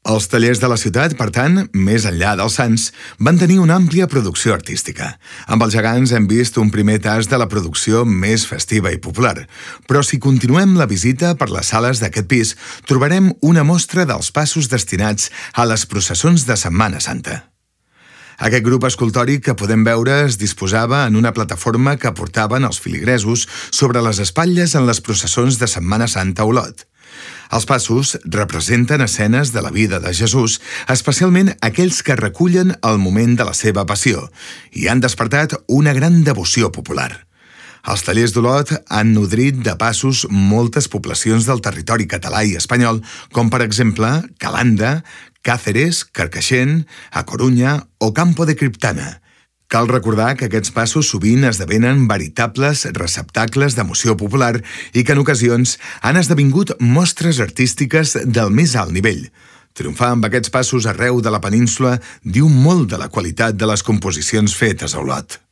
Els tallers de la ciutat, per tant, més enllà dels Sants, van tenir una àmplia producció artística. Amb els gegants hem vist un primer tast de la producció més festiva i popular, però si continuem la visita per les sales d'aquest pis, trobarem una mostra dels passos destinats a les processons de Setmana Santa. Aquest grup escultòric que podem veure es disposava en una plataforma que portaven els filigresos sobre les espatlles en les processons de Setmana Santa a Olot. Els passos representen escenes de la vida de Jesús, especialment aquells que recullen el moment de la seva passió, i han despertat una gran devoció popular. Els tallers d'Olot han nodrit de passos moltes poblacions del territori català i espanyol, com per exemple Calanda, Càceres, Carcaixent, A Corunya o Campo de Criptana. Cal recordar que aquests passos sovint esdevenen veritables receptacles d'emoció popular i que en ocasions han esdevingut mostres artístiques del més alt nivell. Triomfar amb aquests passos arreu de la península diu molt de la qualitat de les composicions fetes a Olot.